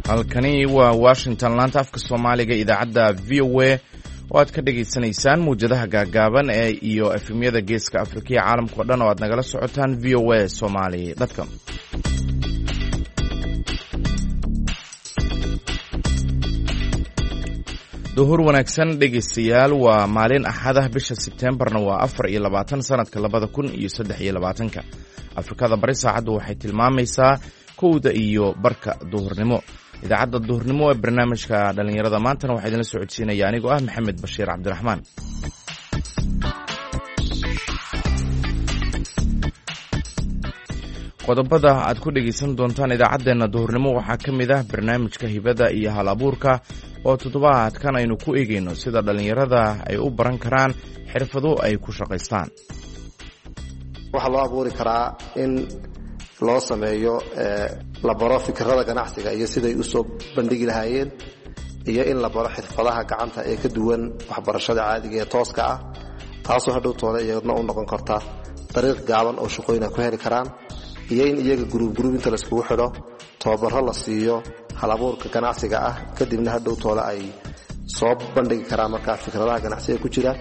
Halkani waa Washington, laanta afka Soomaaliga, idaacadda VOA oo aad ka dhagaysanaysaan muwjadaha gaagaaban ee iyo efemyada Geeska Afrika iyo caalamka o dhan oo aad nagala socotaan voasomali.com. Duhur wanaagsan, dhegaystayaal. Waa maalin Axadah, bisha Sebteembarna waa 24, sanadka 2023-ka. Afrikada Bari saacaddu waxay tilmaamaysaa 1:30 duhurnimo. Idaacadda duhurnimo ee barnaamijka dhallinyarada maantana waxaa idinla socodsiinaya anigoo ah Maxamed Bashiir Cabdiraxmaan. Qodobada aad ku dhegaysan doontaan idaacaddeenna duhurnimo waxaa ka mid ah barnaamijka hibada iyo hal abuurka, oo toddobaadkan aynu ku eegayno sida dhallinyarada ay u baran karaan xirfado ay ku shaqaystaan. Waxaa loo abuuri karaa in loo sameeyo, la baro fikirada ganacsiga iyo siday usoo bandhigi lahaayeen, iyo in la baro xirfadaha gacanta ee ka duwan waxbarashada caadiga ee tooska ah, taasoo hadhow toole iyadna u noqon karta dariiq gaaban oo shaqooyin ay ku heli karaan, iyo in iyaga guruub inta laiskugu xidho tababaro la siiyo halabuurka ganacsiga ah, kadibna hadhow toole ay soo bandhigi karaan markaa fikradaha ganacsiga ku jira.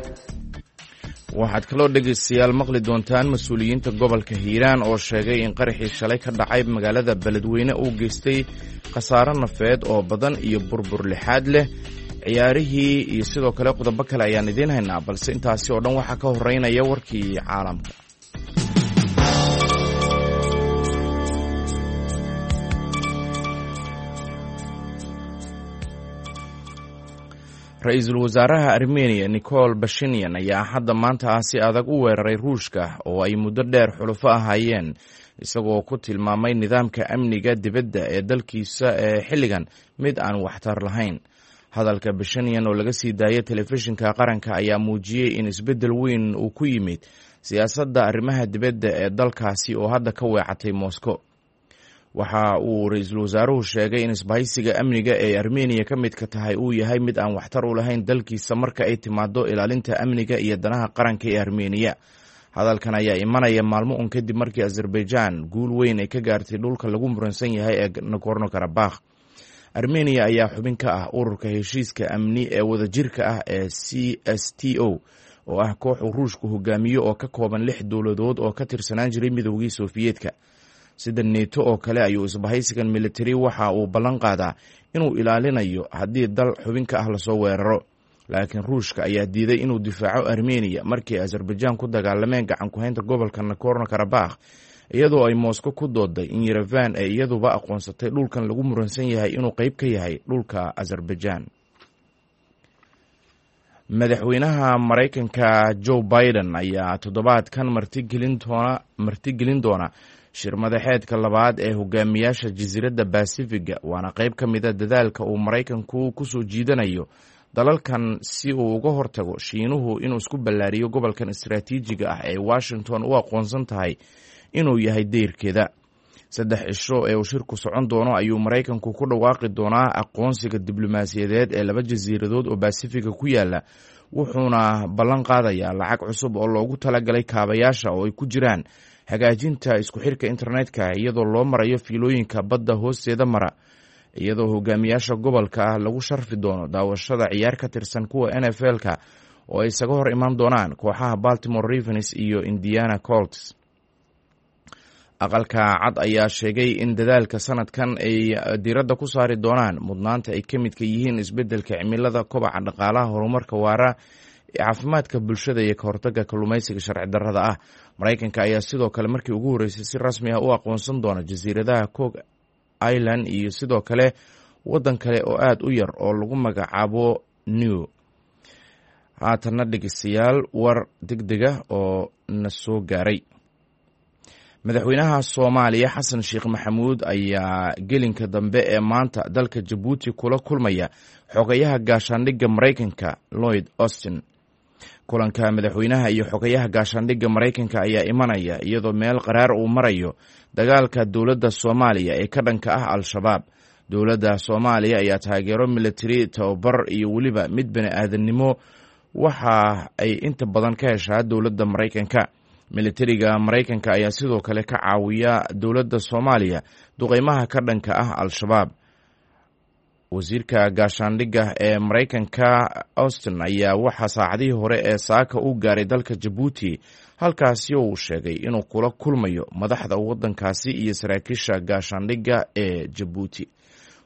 Waxaad kaloo, dhegaystayaal, maqli doontaan mas-uuliyiinta gobolka Hiiraan oo sheegay in qaraxii shalay ka dhacay magaalada Beledweyne uu geystay khasaaro nafeed oo badan iyo burbur lixaad leh. Ciyaarihii iyo sidoo kale qodobo kale ayaan idiin haynaa, balse intaasi oo dhan waxaa ka horeynaya warkii caalamka. Ra-iisul wasaaraha Armeniya Nicol Bashinian ayaa Axadda maanta ah si adag u weeraray Ruushka oo ay muddo dheer xulufo ahaayeen, isagoo ku tilmaamay nidaamka amniga dibadda ee dalkiisa ee xilligan mid aan waxtar lahayn. Hadalka Bashinian oo laga sii daayay telefishinka qaranka ayaa muujiyey in isbeddel weyn uu ku yimid siyaasadda arrimaha dibadda ee dalkaasi oo hadda ka weecatay Moscow. Waxa uu ra-iisul wasaaruhu sheegay in isbahaysiga amniga ee Armeniya ka midka tahay uu yahay mid aan waxtar u lahayn dalkiisa marka ay timaado ilaalinta amniga iyo danaha qaranka ee Armeniya. Hadalkan ayaa imanaya maalmo un kadib markii Azerbaijan guul weyn ay ka gaartay dhulka lagu muransan yahay ee Nagorno Karabakh. Armeniya ayaa xubin ka ah ururka heshiiska amni ee wadajirka ah ee CSTO, oo ah koox uu Ruushku hogaamiyo oo ka kooban lix dowladood oo ka tirsanaan jiray Midoogii Sofiyeetka. Sida Neto oo kale ayuu isbahaysigan militari waxa uu ballan qaadaa inuu ilaalinayo haddii dal xubinka ah lasoo weeraro, laakiin Ruushka ayaa diiday inuu difaaco Armeniya markii Azerbaijan ku dagaalameen gacan ku-haynta gobolka Nagorno Karabakh, iyadoo ay Moscow ku dooday in Yerevan ay iyaduba aqoonsatay dhulkan lagu muransan yahay inuu qeyb ka yahay dhulka Azerbaijan. Madaxweynaha Maraykanka Joe Biden ayaa toddobaadkan martigelin doona shir madaxeedka labaad ee hogaamiyaasha jasiiradda Basifiga, waana qeyb ka mida dadaalka uu Maraykanku ku soo jiidanayo dalalkan si uu uga hortago Shiinuhu inuu isku ballaariyo gobolkan istaraatiijiga ah ee Washington u aqoonsan tahay inuu yahay deyrkeeda. 3 cisho ee uu shirku socon doono ayuu Maraykanku ku dhawaaqi doonaa aqoonsiga diblomaasiyadeed ee laba jasiiradood oo Basifiga ku yaala, wuxuuna ballan qaadayaa lacag cusub oo loogu talagalay kaabayaasha, oo ay ku jiraan hagaajinta isku xirka internetka iyadoo loo marayo fiilooyinka badda hoosteeda mara, iyadoo hogaamiyaasha gobolka ah lagu sharfi doono daawashada ciyaar ka tirsan kuwa NFL-ka oo ay isaga hor imaan doonaan kooxaha Baltimore Ravens iyo Indiana Colts. Aqalka Cad ayaa sheegay in dadaalka sanadkan ay diiradda ku saari doonaan mudnaanta ay ka midka yihiin isbeddelka cimilada, kobaca dhaqaalaha, horumarka waara, caafimaadka bulshada iyo kahortagga kalluumeysiga sharci darrada ah. Maraykanka ayaa sidoo kale markii ugu horreysay si rasmi ah u aqoonsan doona jasiiradaha Cook Island iyo sidoo kale waddan kale oo aada u yar oo lagu magacaabo New. Haatanna, dhegeystayaal, war deg dega oo na soo gaaray. Madaxweynaha Soomaaliya Xasan Sheekh Maxamuud ayaa gelinka dambe ee maanta dalka Jabuuti kula kulmaya xogayaha gaashaandhigga Maraykanka Lloyd Austin. Kulanka madaxweynaha iyo xogayaha gaashaandhigga Maraykanka ayaa imanaya iyadoo meel qaraar uu marayo dagaalka dowladda Soomaaliya ee ka dhanka ah Al-Shabaab. Dowladda Soomaaliya ayaa taageero militari, tababar iyo weliba mid bani aadannimo waxa ay inta badan ka heshaa dowladda Maraykanka. Militariga Maraykanka ayaa sidoo kale ka caawiya dowladda Soomaaliya duqeymaha ka dhanka ah Al-Shabaab. Wasiirka gaashaandhigga ee Maraykanka Austin ayaa waxaa saacadihii hore ee saaka u gaaray dalka Jabuuti, halkaasi oo uu sheegay inuu kula kulmayo madaxda waddankaasi iyo saraakiisha gaashaandhigga ee Jabuuti.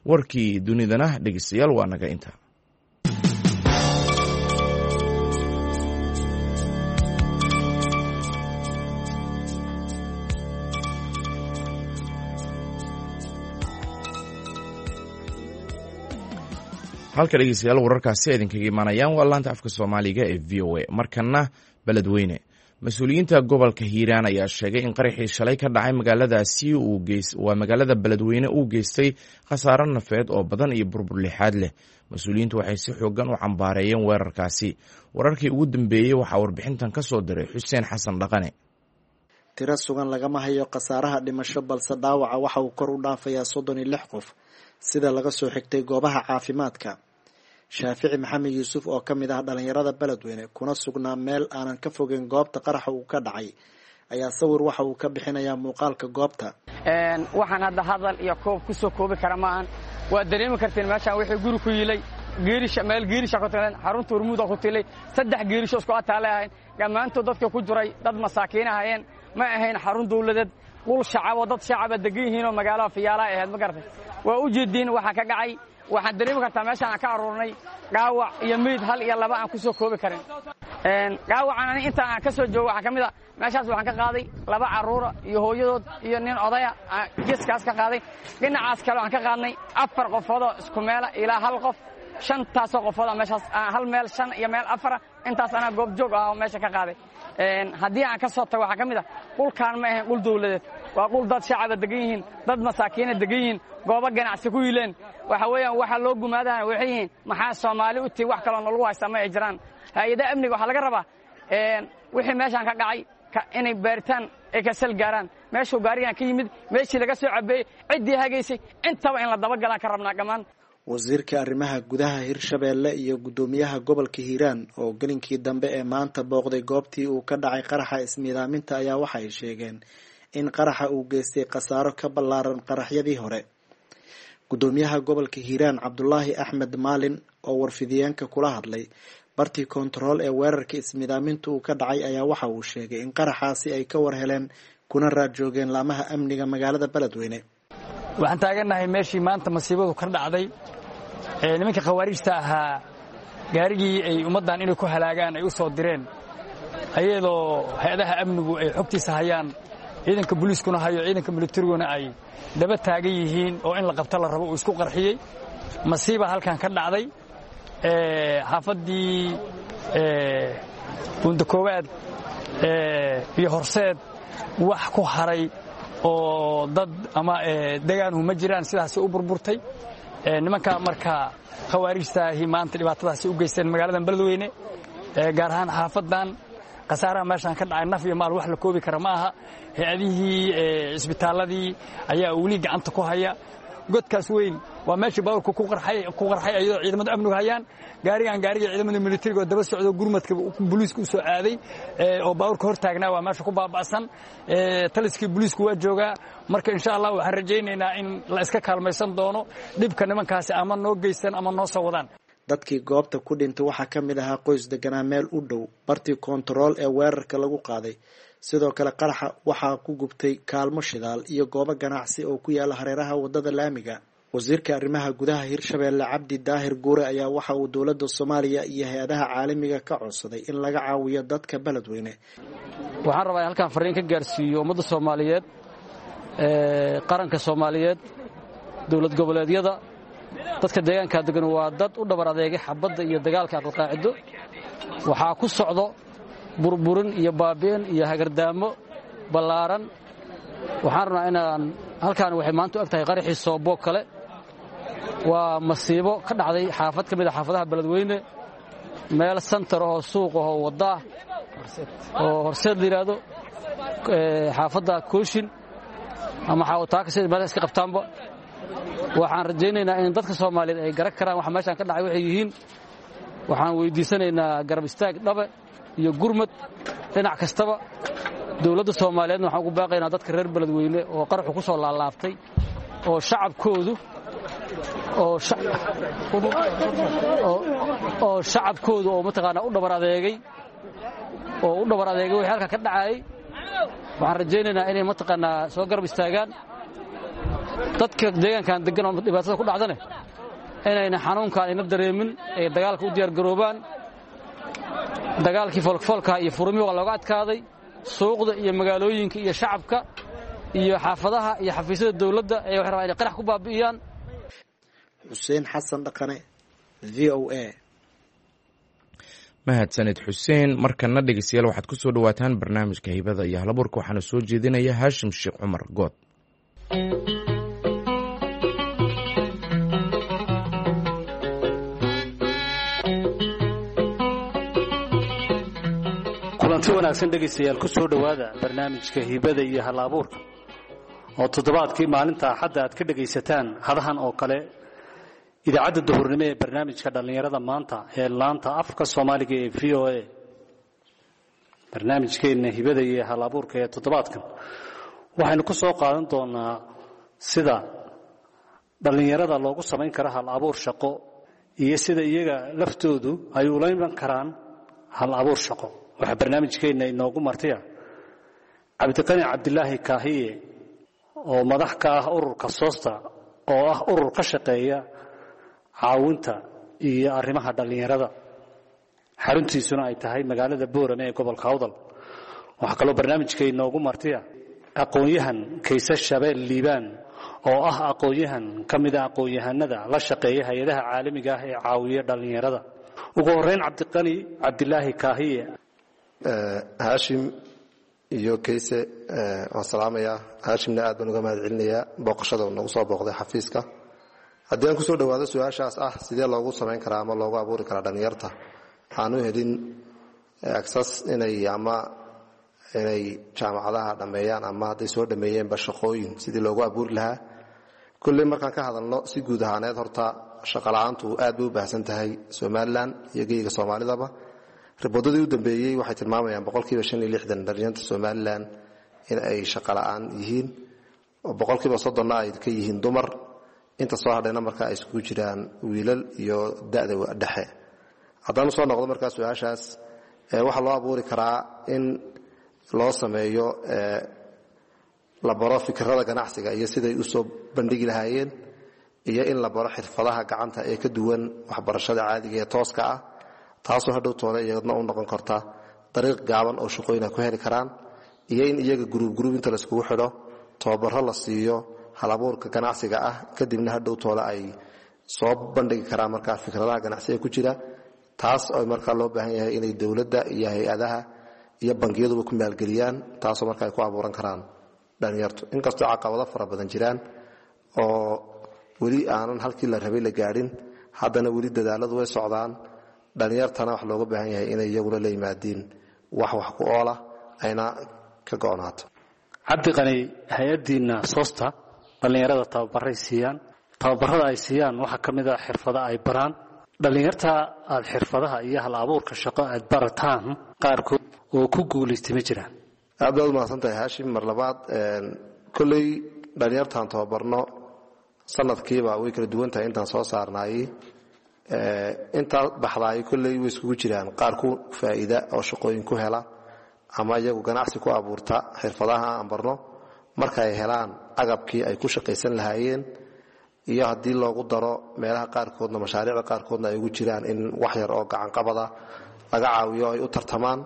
Warkii dunidana dhegeystayaal waa naga inta. Halka dhegeystayaal wararkaasi idinkaga imaanayaan waa laanta afka Soomaaliga ee VOA. Markana Beledweyne, mas-uuliyiinta gobolka Hiiraan ayaa sheegay in qaraxii shalay ka dhacay magaaladaasi waa magaalada Beledweyne uu geystay khasaaro nafeed oo badan iyo burbur lixaad leh. Mas-uuliyiintu waxay si xoogan u cambaareeyeen weerarkaasi. Wararkii ugu dambeeyey waxaa warbixintan ka soo diray Xuseen Xasan Dhaqane. Tiro sugan lagama hayo khasaaraha dhimasho, balse dhaawaca waxa uu kor u dhaafayaa 36 qof, sida laga soo xigtay goobaha caafimaadka. Shaafici Maxamed Yuusuf oo ka mid ah dhalinyarada Beledweyne kuna sugnaa meel aanan ka fogeyn goobta qaraxa uu ka dhacay ayaa sawir waxa uu ka bixinayaa muuqaalka goobta. Waxaan hadda hadal iyo koob kusoo koobi kara maahan. Waad dareemi karteen meeshaan wixii guri ku yilay, geerisha meel geerisha ku tileen, xarunta Hormuuda ku tilay, 3 geerisho isku ataale ahayn. Dhammaantood dadka ku jiray dad masaakiin ahaayeen, ma ahayn xarun dawladeed, dhul shacab oo dad shacaba degan yihiin oo magaalada fiyaalaha ahayd, ma garatay. Waa u jeediin waxaa ka dhacay. Waxaan dareemi kartaa meeshaan aan ka aruurnay dhaawac iyo meyd 1 iyo 2 aan ku soo koobi karin. Dhaawacan ani inta aan ka soo joogo waxaa ka mid a meeshaas waxaan ka qaaday 2 carruura iyo hooyadood iyo nin odaya geeskaas ka qaaday. Dhinacaas kale waxaan ka qaadnay 4 qofoodoo isku meela ilaa 1 qof, 5taasoo qofooda meeshaas hal meel 5 iyo meel 4, intaas anaa goob joog ah oo meesha ka qaaday. Haddii aan ka soo tago waxaa ka mid ah dhulkaan ma ahayn dhul dawladeed, waa dhul dad shacaba degan yihiin, dad masaakiina degan yihiin, goobo ganacsi ku yiileen. Waxa weeyaan waxa loo gumaadahana waxay yihiin maxaa Soomaali u tihi, wax kaloo nalagu haystaa ma ay jiraan. Hay-adaha amniga waxaa laga rabaa wixii meeshaan ka dhacay inay baaritaan ay kasal gaaraan, meeshuu gaarigan ka yimid, meeshii laga soo cabeeyey, ciddii hagaysay, intaba in la dabagalaan ka rabnaa dhammaan. Wasiirka arrimaha gudaha Hirshabeelle iyo guddoomiyaha gobolka Hiiraan oo gelinkii dambe ee maanta booqday goobtii uu ka dhacay qaraxa ismiidaaminta ayaa waxa ay sheegeen in qaraxa uu geystay khasaaro ka ballaaran qaraxyadii hore. Guddoomiyaha gobolka Hiiraan Cabdulaahi Axmed Maalin oo warfidiyeenka kula hadlay bartii koontarool ee weerarka ismiidaaminta uu ka dhacay ayaa waxa uu sheegay in qaraxaasi ay ka war heleen kuna raad joogeen laamaha amniga magaalada Beledweyne. Waxaan taagannahay meeshii maanta masiibadu ka dhacday. Nimanka khawaarijta ahaa gaarigii ay ummaddan inay ku halaagaan ay u soo direen, ayadoo hay-adaha amnigu ay xogtiisa hayaan, ciidanka booliiskuna hayo, ciidanka militariguna ay daba taagan yihiin oo in la qabto la rabo uu isku qarxiyey. Masiiba halkan ka dhacday xaafaddii Buunda Koowaad iyo Horseed, wax ku haray oo dad ama degaanhu ma jiraan, sidaasi u burburtay. Nimanka marka khawaarijtaahi maanta dhibaatadaasi u geysteen magaaladan Beledweyne, gaar ahaan xaafaddan. Khasaaraha meeshaan ka dhacay naf iyo maal wax la koobi kara ma aha. Hay-adihii cisbitaalladii ayaa weli gacanta ku haya. Godkaas weyn waa meeshii baaburka ku qarxay ayadoo ciidamada amnigu hayaan. Gaarigan gaarigii ciidamada militariga oo daba socdo gurmadka booliisku u soo aaday oo baaburka hor taagnaa waa meesha ku baaba'san. Taliskii booliisku waa joogaa. Marka insha Allah waxaan rajaynaynaa in la iska kaalmaysan doono dhibka nimankaasi ama noo geystan ama noo soo wadaan. Dadkii goobta ku dhintay waxaa ka mid ahaa qoys deganaa meel u dhow bartii koontarool ee weerarka lagu qaaday. Sidoo kale qaraxa waxaa ku gubtay kaalmo shidaal iyo goobo ganacsi oo ku yaala hareeraha waddada laamiga. Wasiirka arrimaha gudaha Hirshabeelle Cabdi Daahir Guure ayaa waxa uu dowladda Soomaaliya iyo hay-adaha caalamiga ka codsaday in laga caawiyo dadka Beledweyne. Waxaan rabaa in halkaan fariin ka gaarsiiyo ummadda Soomaaliyeed, qaranka Soomaaliyeed, dowlad goboleedyada, dadka deegaanka degan waa dad u dhabar adeegay xabadda iyo dagaalka aqalqaacido. Waxaa ku socdo burburin iyo baabi'in iyo hagardaamo ballaaran. Waxaan rabnaa inaan halkaan waxay maanta u eg tahay qaraxii Soobo kale. Waa masiibo ka dhacday xaafad ka mid a xaafadaha Beledweyne, meel santar ahoo suuq ahoo waddaah oo Horseed la yidhaahdo, xaafadda Kooshin ama Xaawataaka sida meel iska qabtaanba. Waxaan rajaynaynaa in dadka Soomaaliyeed ay garan karaan waxa meeshaan ka dhacay waxay yihiin. Waxaan weydiisanaynaa garab istaag dhabe iyo gurmad dhinac kastaba. Dowladda Soomaaliyeedna waxaan ugu baaqaynaa dadka reer Beledweyne oo qaraxu ku soo laalaabtay oo shacabkoodu Oo shacabkooda oo mataqaanaa u dhabar adeegay oo u dhabar adeegay wixii halka ka dhacayay. Waxaan rajaynaynaa inay mataqaanaa soo garab istaagaan dadka deegaankan deggan oo dhibaatada ku dhacdane, inayna xanuunkaan ayna dareemin, ay dagaalka u diyaargaroobaan. Dagaalkii foolkafoolkaha iyo furumi waa looga adkaaday. Suuqda iyo magaalooyinka iyo shacabka iyo xaafadaha iyo xafiisyada dawladda ee waxay rabaan inay qarax ku baabi'iyaan. Xuseen Xasan Dhaqane, V O A. Mahadsanid, Xuseen. Markana dhegeystayaal, waxaad ku soo dhawaataan barnaamijka Hibada iyo Halabuurka. Waxaana soo jeedinaya Haashim Sheekh Cumar Good. Kulanti wanaagsan dhegaystayaal, ku soo dhowaada barnaamijka Hibada iyo Hal Abuurka oo toddobaadkii maalinta Axadda aad ka dhegaysataan hadahan oo kale idaacadda duhurnimo ee barnaamijka dhallinyarada maanta ee laanta afka Soomaaliga ee VOA. Barnaamijkeenna Hibada iyo Hal Abuurka ee toddobaadkan waxaynu ku soo qaadan doonaa sida dhallinyarada loogu samayn karo hal abuur shaqo iyo sida iyaga laftoodu ay ula iman karaan hal abuur shaqo. Waxaa barnaamijkeenna inoogu martiya Cabdiqani Cabdilaahi Kaahiye oo madax ka ah ururka Soosta, oo ah urur ka shaqeeya caawinta iyo arrimaha dhallinyarada, xaruntiisuna ay tahay magaalada Boorame ee gobolka Awdal. Waxaa kaloo barnaamijka inoogu martiya aqoon-yahan Kayse Shabeel Liibaan, oo ah aqoon-yahan ka mida aqoon-yahanada la shaqeeya hay-adaha caalamiga ah ee caawiya dhallinyarada. Ugu horreyn, Cabdiqani Cabdilaahi Kaahiye. Haashim iyo Kayse waan salaamayaa. Haashimna aad baan uga mahad celinayaa booqashada uu nagu soo booqday xafiiska. Haddii aan kusoo dhawaado su-aashaas ah sidee loogu samayn karaa ama loogu abuuri karaa dhallinyarta aan u helin access inay ama inay jaamacadaha dhammeeyaan ama hadday soo dhameeyeenba shaqooyin, sidii loogu abuuri lahaa? Kolley markaan ka hadalno si guud ahaaneed, horta shaqola'aantu aad bay u baahsan tahay Somalilan iyo geyga Soomaalidaba. Riboodadii u dambeeyey waxay tilmaamayaan 65% dhalinyarta Somalilan in ay shaqola'aan yihiin, oo 30%na ay ka yihiin dumar, inta soo hadhayna marka ay iskugu jiraan wiilal iyo da'da dhexe. Haddaan usoo noqdo markaa su-aashaas, waxaa loo abuuri karaa in loo sameeyo, la baro fikirada ganacsiga iyo siday usoo bandhigi lahaayeen, iyo in la baro xirfadaha gacanta ee ka duwan waxbarashada caadiga ee tooska ah, taasoo hadhow toole iyadna u noqon karta dariiq gaaban oo shaqooyin ay ku heli karaan, iyo in iyaga guruub guruub inta laiskugu xidho tababaro la siiyo halabuurka ganacsiga ah, kadibna hadhow toole ay soo bandhigi karaan markaa fikradaha ganacsiga ku jira. Taas oo markaa loo baahan yahay inay dowladda iyo hay-adaha iyo bangiyaduba ku maalgeliyaan, taasoo marka ay ku abuuran karaan dhalinyartu, inkastoo caqabado fara badan jiraan oo weli aanan halkii la rabay la gaadhin, haddana weli dadaaladu way socdaan. Dhalinyartana wax looga baahan yahay inay iyaguna la yimaadiin wax wax ku oola ayna ka go'naato. Cabdiqani, hay-addiinna Soosta dhallinyarada tababaray siiyaan. Tababarada ay siiyaan waxaa ka mid ah xirfado ay baraan dhallinyarta. Aad xirfadaha iyo hal abuurka shaqo aad barataan qaarkood oo ku guulaystay ma jiraan? Aad baad umahadsan tahay, Haashim, mar labaad. Kolley dhalinyartaan tababarno sanadkiiba way kala duwan tahay intaan soo saarnaayey. Intaa baxdaay kolley way iskugu jiraan qaar ku faa'iida oo shaqooyin ku hela ama iyagu ganacsi ku abuurta xirfadaha aan barno marka ay helaan agabkii ay ku shaqaysan lahaayeen, iyo haddii loogu daro meelaha qaarkoodna mashaariicda qaarkoodna ay ugu jiraan in wax yar oo gacanqabada laga caawiyo ay u tartamaan,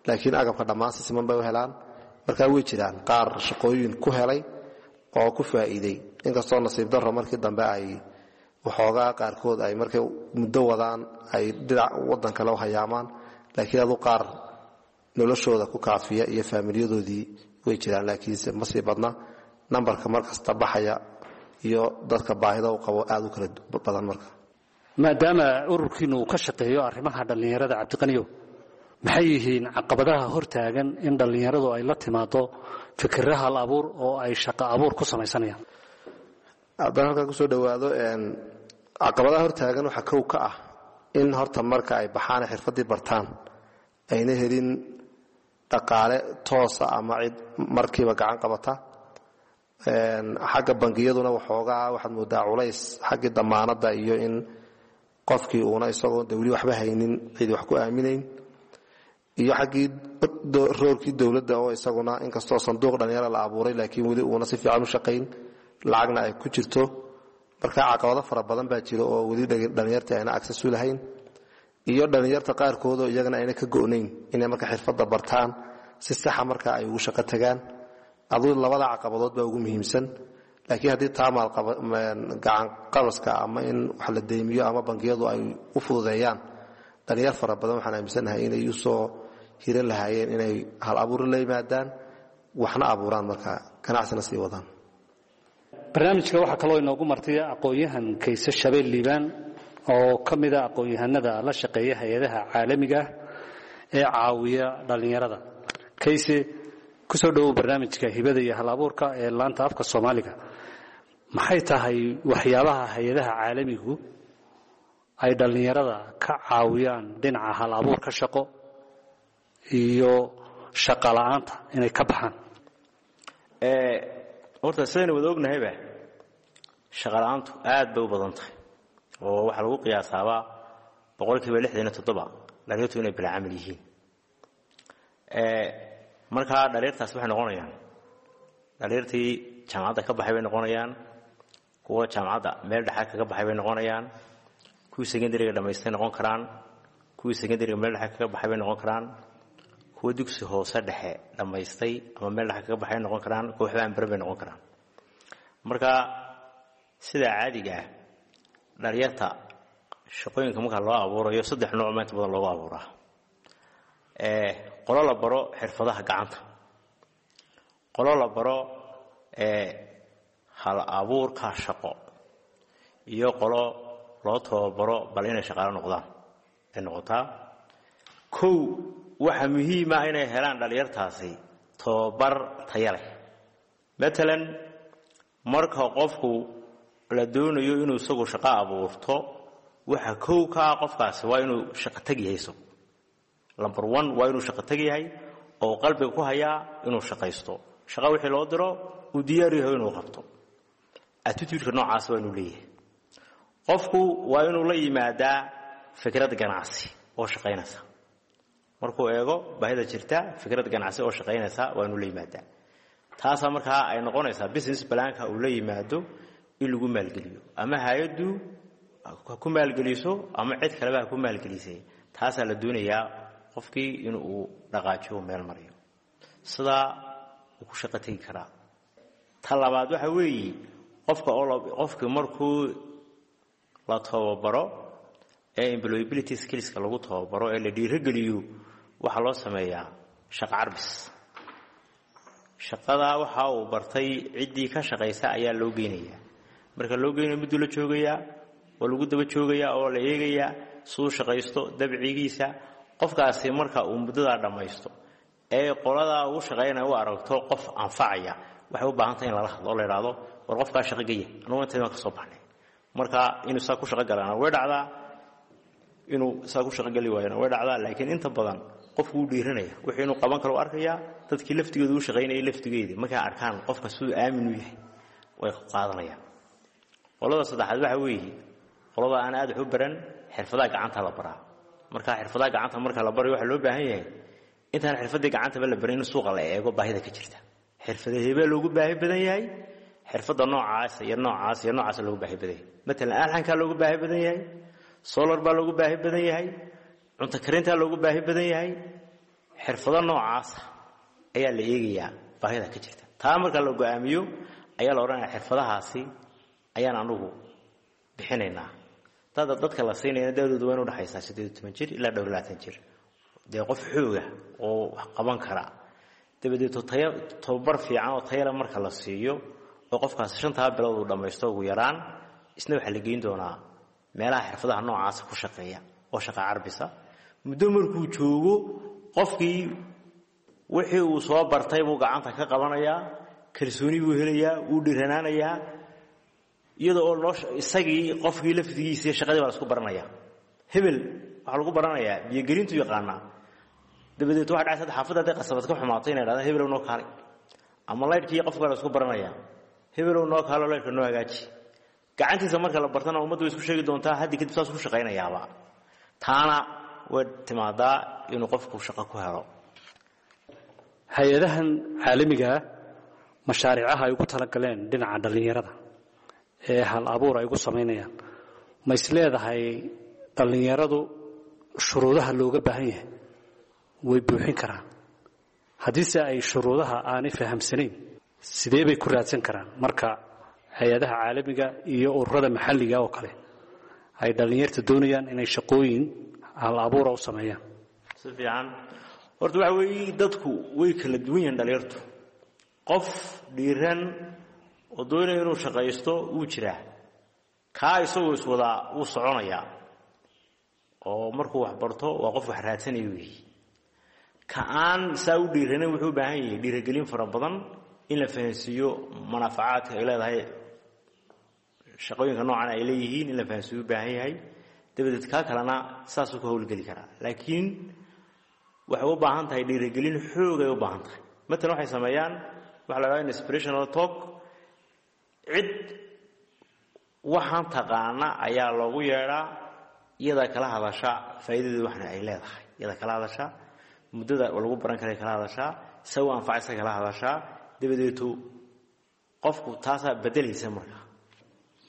laakiin agabka dhammaan si siman bay u helaan. Markaa way jiraan qaar shaqooyin ku helay oo ku faa'iiday, inkastoo nasiib darro markii dambe ay waxoogaa qaarkood ay markay muddo wadaan ay dhinac waddan kale u hayaamaan, laakiin adu qaar noloshooda ku kaafiya iyo faamilyadoodii way jiraan, laakiinse ma sii badna nambarka markasta baxaya iyo dadka baahida u qabo aad u kala badan marka. Maadaama ururkiinu uu ka shaqeeyo arrimaha dhallinyarada, Cabdiqaniyow, maxay yihiin caqabadaha hortaagan in dhallinyaradu ay la timaado fikirra hal abuur oo ay shaqo abuur ku samaysanayaan? Haddaan halkan kusoo dhowaado, caqabadaha hortaagan waxaa kow ka ah in horta marka ay baxaan xirfaddii bartaan ayna helin dhaqaale toosa ama cid markiiba gacan qabata. Xagga bangiyaduna waxoogaa waxaad moodaa culays xaggii damaanadda iyo in qofkii uuna isagoo de weli waxba haynin cidi wax ku aaminayn, iyo xaggii roorkii dowladda oo isaguna inkastoo sanduuq dhalinyaro la abuuray laakiin weli uuna si fiican u shaqayn, lacagna ay ku jirto. Marka caqabado fara badan baa jira oo weli dhalinyartii ayna access u lahayn, iyo dhalinyarta qaarkoodoo iyagana ayna ka go'nayn inay marka xirfadda bartaan si saxa marka ay ugu shaqo tagaan. Aduu labada caqabadood baa ugu muhiimsan, laakiin haddii taa gacanqabaska ama in wax la deymiyo ama bangiyadu ay u fududeeyaan dhalinyar fara badan, waxaan aaminsanahay inay usoo hiran lahaayeen inay hal abuur la yimaadaan, waxna abuuraan, marka ganacsina sii wadaan. Barnaamijka waxaa kaloo inoogu martay aqoon-yahan Kayse Shabeel Liibaan oo ka mida aqoon-yahanada la shaqeeya hay-adaha caalamiga ah ee caawiya dhallinyarada. Kayse, kusoo dhowow barnaamijka hibada iyo hal abuurka ee laanta afka Soomaaliga. Maxay tahay waxyaabaha hay-adaha caalamigu ay dhallinyarada ka caawiyaan dhinaca hal abuurka shaqo iyo shaqa la'aanta inay ka baxaan? Horta sidaynu wada ognahayba, shaqa la'aantu aad bay u badan tahay oo waxaa lagu qiyaasaabaa 67% dhalinyartu inay bilaa camal yihiin. Markaa dhalinyartaas waxay noqonayaan dhalinyartii jaamacadda ka baxay bay noqonayaan, kuwa jaamacadda meel dhexa kaga baxay bay noqonayaan, kuwii secondariga dhamaystay noqon karaan, kuwii secondariga meel dhexe kaga baxay bay noqon karaan, kuwa dugsi hoose dhexe dhammaystay ama meel dhexe kaga baxay noqon karaan, kuwa waxba aan baran bay noqon karaan. Marka sida caadiga ah dhalinyarta shaqooyinka marka loo abuurayo saddex nooc ma inta badan loogu abuuraa. Qolo la baro xirfadaha gacanta, qolo la baro hal abuurka shaqo, iyo qolo loo tababaro bal inay shaqaalo noqdaan ay noqotaa. Kow, waxaa muhiima inay helaan dhalinyartaasi tababar taya leh. Matalan marka qofku la doonayo inuu isagu shaqo abuurto, waxa kow ka ah qofkaasi waa inuu shaqo tag yahay isagu. Number one waa inuu shaqo tag yahay oo qalbiga ku hayaa inuu shaqaysto, shaqo wixii loo diro uu diyaar yahay inuu qabto. Attitude-ka noocaas waa inuu leeyahay qofku, waa inuu la yimaadaa fikrad ganacsi oo shaqaynaysa. Markuu eego baahida jirta, fikrad ganacsi oo shaqaynaysa waa inuu la yimaadaa. Taasaa markaa ay noqonaysaa business planka uu la yimaado in lagu maalgeliyo, ama hay-addu ha ku maalgeliso ama cid kaleba ha ku maalgelisay. Taasaa la doonayaa qofkii inuu dhaqaajiyo, meel mariyo, sidaa uu ku shaqo tegi karaa. Ta labaad waxa weeye qofka oo qofkii markuu la tababaro ee employability skillska lagu tababaro ee la dhiirogeliyo, waxaa loo sameeyaa shaqo carbis. Shaqadaa waxa uu bartay ciddii ka shaqaysa ayaa loo geynayaa. Marka loo geynayo mudduu la joogayaa oo lagu daba joogayaa oo la eegayaa siduu shaqaysto, dabcigiisa. Qofkaasi marka uu muddadaa dhammaysto ee qoladaa uu shaqaynaya u aragto qof anfacaya, waxay u baahan tahay in lala hadlo oo la idhaahdo war qofkaa shaqo geya, anugu intaydan ka soo baxnay. Marka inuu saa ku shaqo galana way dhacdaa, inuu saa ku shaqo geli waayana way dhacdaa, laakiin inta badan qofku wuu dhiiranaya, wixii inuu qaban karo u arkayaa. Dadkii laftigooda u shaqaynayay laftigeedii markay arkaan qofka siduu aamin u yahay way qaadanayaan. Qolada saddexaad waxa weeye qolada aan aad wax u baran, xirfadaha gacanta la baraa. Marka xirfadaha gacanta marka la barayo waxaa loo baahan yahay intaan xirfadii gacantaba la barin in suuqa la eego baahida ka jirta, xirfada hebee loogu baahi badan yahay, xirfadda noocaas iyo noocaas iyo noocaas loogu baahi badan yahay. Matalan alxankaa loogu baahi badan yahay, solar baa loogu baahi badan yahay, cunto karintaa loogu baahi badan yahay. Xirfado noocaasa ayaa la eegayaa baahida ka jirta. Taa marka la go'aamiyo ayaa la odhanaya xirfadahaasi ayaan anugu bixinaynaa. Dada dadka la siinayna da'doodu waa inu udhaxaysaa 18 jir ilaa dhowr 20 jir, dee qof xooga oo wax qaban kara. Dabadeeto tayo tababar fiican oo tayale marka la siiyo oo qofkaasi 5taa bilood uu dhammaysto ugu yaraan, isna waxaa la geyn doonaa meelaha xirfadaha noocaasa ku shaqeeya oo shaqa carbisa. Muddo markuu joogo qofkii wixii uu soo bartay buu gacanta ka qabanayaa, kalsooni buu helayaa, wuu dhiranaanayaa, iyadoo oo loo isagii qofkii laftigiisii shaqadii baa la isku baranaya. Hebel waxaa lagu baranayaa biyogelintu yaqaanaa, dabadeed waxa dhacaysa xaafadda hadday qasabad ka xumaato inay dhahdaan hebel noo kaalay, ama laydhkii qofka la isku baranayaa. Hebelow noo kaalo, leyrka noo hagaaji. Gacantiisa marka la bartana ummaddu way isku sheegi doontaa, haddi kadib saas ku shaqaynayaaba. Taana way timaadaa inuu qofku shaqo ku helo. Hay-adahan caalamigaa mashaariicaha ay ugu talagaleen dhinaca dhallinyarada ee hal abuur ay ugu samaynayaan, ma is leedahay dhallinyaradu shuruudaha looga baahan yahay way buuxin karaan? Haddiise ay shuruudaha aanay fahamsanayn, sidee bay ku raadsan karaan marka hay-adaha caalamiga iyo ururada maxalliga oo kale ay dhallinyarta doonayaan inay shaqooyin hal abuura u sameeyaan? Si fiican. Horta waxa weeye, dadku way kala duwan yihiin. Dhalinyartu qof dhiiran oo doonaya inuu shaqaysto wuu jiraa, kaa isagoo iswadaa wuu soconayaa, oo markuu wax barto waa qof wax raadsanaya weeye. Ka aan saa u dhiiranin wuxuu u baahan yahay dhiiragelin fara badan, in la fahansiiyo manaafacaadka ay leedahay shaqooyinka noocan ay leeyihiin, in la fahansiiyo u baahan yahay. Dabadeed kaa kalena saasuu ku howlgeli karaa, laakiin waxay u baahan tahay dhiirigelin xoogay u baahan tahay. Matalan waxay sameeyaan waxa la dhahdaa inspirational talk. Cid waxaan taqaana ayaa loogu yeedhaa, iyadaa kala hadasha faa'iidadeedu waxna ay leedahay, iyadaa kala hadasha muddada lagu baran karay, kala hadashaa se u anfacaysa, kala hadashaa. Dabadeetu qofku taasaa bedelaysa marka.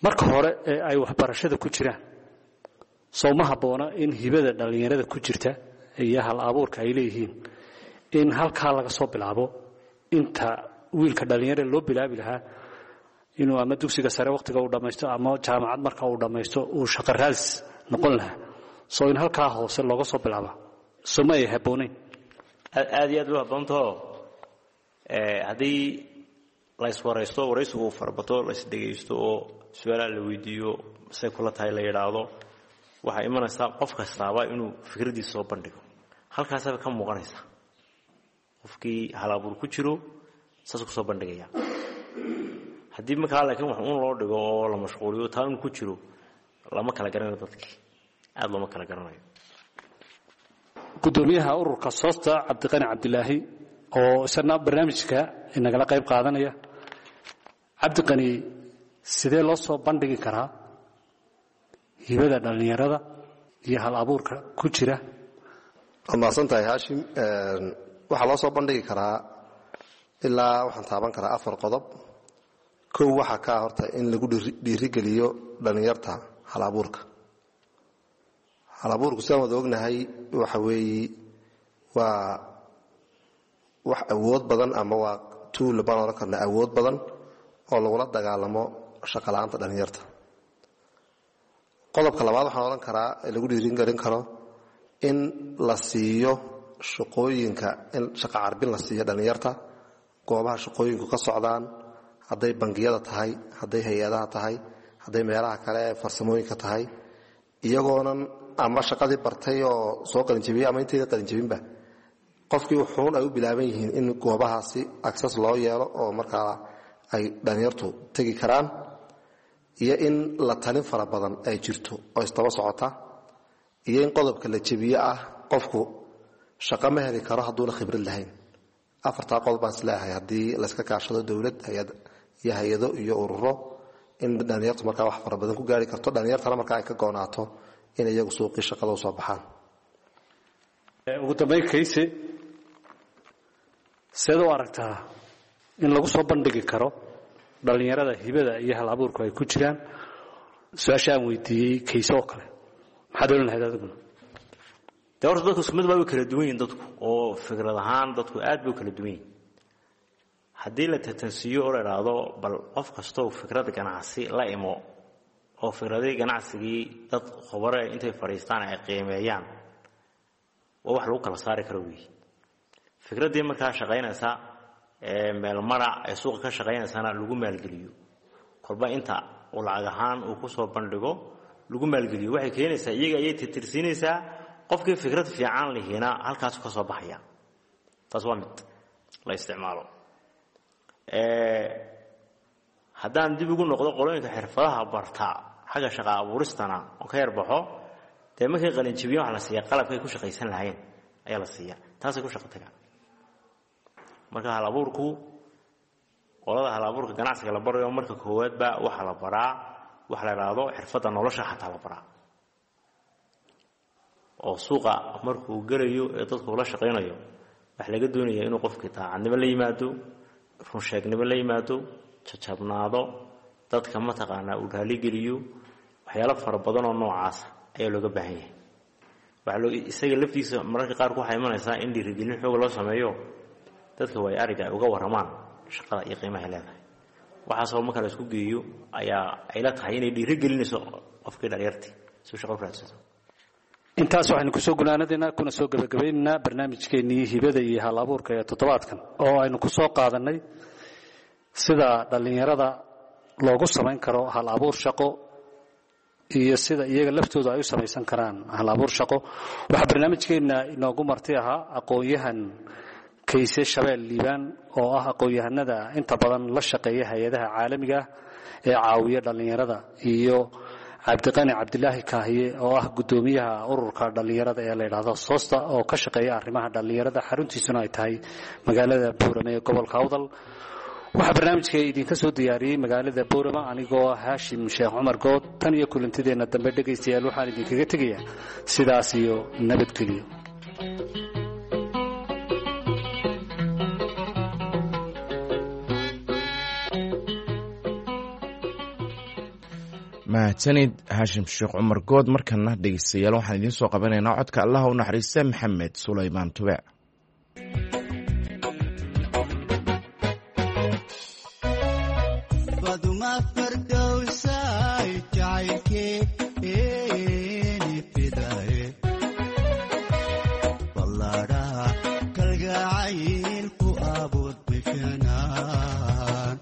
Marka hore ee ay waxbarashada ku jiraan, soo ma habboona in hibada dhallinyarada ku jirta iyo hal abuurka ay leeyihiin in halkaa laga soo bilaabo, inta wiilka dhallinyarada loo bilaabi lahaa inuu ama dugsiga sare wakhtiga uu dhammaysto ama jaamacad marka uu dhammaysto uu shaqo raadis noqon lahaa? Soo in halkaa hoose looga soo bilaaba soo ma ay habboonayn? Aad iyo aad bay habboontao. Haddii la iswaraysto, waraysigu uu farabato, la isdhegaysto oo su-aalaha la weydiiyo, say kula tahay la yidhaahdo, waxaa imanaysaa qof kastaaba inuu fikraddiisa soo bandhigo. Halkaasaaba ka muuqanaysa qofkii halabuur ku jiro, saasuu kusoo bandhigaya. Haddii markaa laakiin wax uun loo dhigo oo la mashquuliyo, taa inuu ku jiro lama kala garanayo, dadkii aada looma kala garanayo. Guddoomiyaha ururka Soosta, Cabdiqani Cabdilaahi, oo isna barnaamijka inagala qayb qaadanaya. Cabdiqani, sidee loo soo bandhigi karaa hibada dhallinyarada iyo hal abuurka ku jira? Waad mahadsan tahay, Haashim. Waxaa loo soo bandhigi karaa ilaa waxaan taaban karaa 4 qodob. Kow, waxaa kaa horta in lagu dhiirigeliyo dhallinyarta hal abuurka. Hal abuurku, sidaan wada ognahay, waxa weeye waa wax awood badan, ama waa tool baan odhan karna, awood badan oo lagula dagaalamo shaqola'aanta dhallinyarta. Qodobka labaad waxaan odhan karaa lagu dhiirigelin karo in la siiyo shaqooyinka, in shaqa carbin la siiyo dhallinyarta goobaha shaqooyinku ka socdaan, hadday bangiyada tahay, hadday hay-adaha tahay, hadday meelaha kale ee farsamooyinka tahay, iyagoonan ama shaqadii bartay oo soo qalinjabiyey ama intayda qalinjabinba qofkii wuxuun ay u bilaaban yihiin, in goobahaasi access loo yeelo oo markaa ay dhallinyartu tegi karaan, iyo in la talin fara badan ay jirto oo isdaba socota, iyo in qodobka la jebiye ah qofku shaqo ma heli karo hadduuna khibrad lahayn. Afartaa qodob baan isleeyahay haddii layska kaashado dowlad iyo hay-ado iyo ururo, in dhallinyartu markaa wax fara badan ku gaari karto, dhallinyartana markaa ay ka goonaato in iyagu suuqii shaqada usoo baxaan. Ugu dambayn, Kayse, seed u aragtaa in lagu soo bandhigi karo dhallinyarada hibada iyo hal abuurku ay ku jiraan? Su-aasha aan weydiiyey Kayse oo kale maxaad odhan lahayd adiguna? Dee horta dadku isku mid baa, way kala duwan yihin dadku, oo fikrad ahaan dadku aad bay u kala duwan yihin. Haddii la tatansiiyo oo la idhaahdo bal qof kastoo fikrad ganacsi la imo, oo fikradihii ganacsigii dad khubare intay fadhiistaan ay qiimeeyaan, waa wax lagu kala saari karo weeye. Fikraddii markaa shaqaynaysa ee meelmara ee suuqa ka shaqaynaysana lagu maalgeliyo, kolba inta uu lacag ahaan uu ku soo bandhigo lagu maalgeliyo, waxay keenaysaa iyaga ayay tirtirsiinaysaa, qofkii fikrad fiican lihiina halkaasu ka soo baxaya. Taas waa mid la isticmaalo. Haddaan dib ugu noqdo qolooyinka xirfadaha barta xagga shaqa abuuristana oo ka yarbaxo, dee markay qalinjibiyan waxa la siiya qalabkay ku shaqaysan lahayn ayaa la siiya, taasay ku shaqo tagaan. Marka hal abuurku Qolada hal abuurka ganacsiga la barayo marka koowaadba waxaa la baraa waxa la idhaahdo xirfadda nolosha xataa la baraa, oo suuqa markuu gelayo ee dadku ula shaqaynayo waxaa laga doonaya inuu qofkii daacadnimo la yimaado, runsheegnimo la yimaado, jajabnaado, dadka mataqaanaa uu raaligeliyo. Waxyaalo fara badan oo noocaasa ayaa looga baahan yahay. Waxaa loo isaga laftiisa mararka qaarku waxaa imanaysaa in dhiirigelin xooga loo sameeyo, dadka waay ariga ay uga warramaan shaqada iyo qiimahay leedahay. Waxaasoo marka la isku geeyo ayaa ayla tahay inay dhiirigelinayso qofkii dhalinyartii si uu shaqo u raadsato. Intaas waxaynu kusoo gunaanadaynaa kuna soo gebagabaynaynaa barnaamijkeennii hibada iyo hal abuurka ee toddobaadkan, oo aynu ku soo qaadanay sida dhallinyarada loogu samayn karo hal abuur shaqo iyo sida iyaga laftooda ay u samaysan karaan hal abuur shaqo. Waxaa barnaamijkeenna inoogu marti ahaa aqoon-yahan Kayse Shabeel Liibaan, oo ah aqoon-yahanada inta badan la shaqeeya hay-adaha caalamiga ah ee caawiya dhallinyarada, iyo Cabdiqani Cabdilaahi Kaahiye, oo ah guddoomiyaha ururka dhallinyarada ee la yidhaahdo Soosta, oo ka shaqeeya arrimaha dhallinyarada, xaruntiisuna ay tahay magaalada Buurame ee gobolka Awdal. Waxaa barnaamijka idinka soo diyaariyey magaalada Boorama anigoo ah Haashim Sheekh Cumar Good. Tan iyo kulantideenna dambe, dhegaystayaal, waxaan idinkaga tegayaa sidaas iyo nabadgelyo. Mahadsanid Haashim Sheekh Cumar Good. Markana dhegeystayaal, waxaan idiin soo qabanaynaa codka Allaha u naxariista Maxamed Sulaymaan Tube. Baduma fardowsay jacaylkeeni fidaye, ballaadhaha kalgacayl ku abuur bifinaan.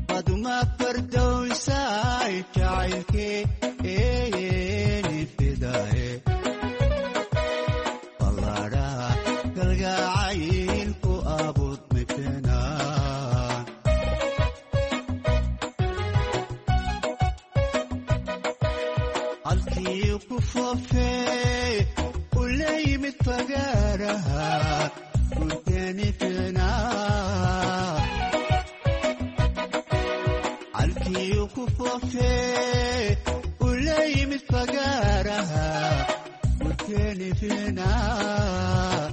Baduma fardowsay jacaylkeeni fidaye, ballaadhaha kalgacayl ku abuur bifinaan. Halkii ku foofee u la yimid fagaaraha gurteeni ficnaa. Halkii ku foofee u la yimid fagaaraha gurteeni ficnaa.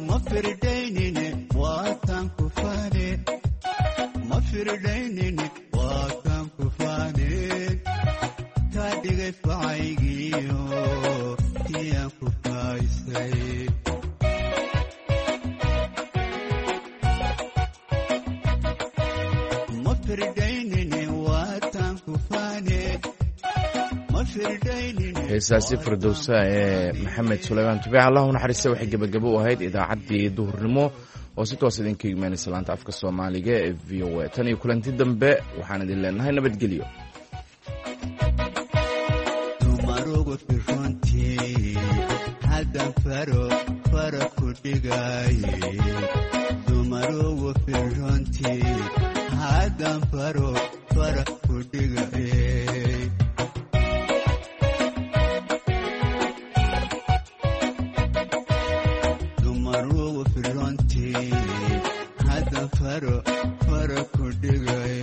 Ma firdaynine waatan ku faane, ma firdaynine waatan ku faane, kaa dhigay facaygiyo tiyaan ku faaysay. Ma firdaynine waatan ku faane, ma firdaynine. Heesaasi firdowsa ee Maxamed Sulaymaan Tube, Allah u naxariista, waxay gebagabo u ahayd idaacaddii duhurnimo oo si toos idinka imaanaysa laanta afka Soomaaliga ee VOA. Tan iyo kulanti dambe, waxaan idin leenahay nabadgelyo. Dumarugu firuntii haddan faro fara ku dhigaye, dumarugu firuntii haddan faro fara ku dhigaye. Dumarugu firuntii haddan faro fara ku dhigaye.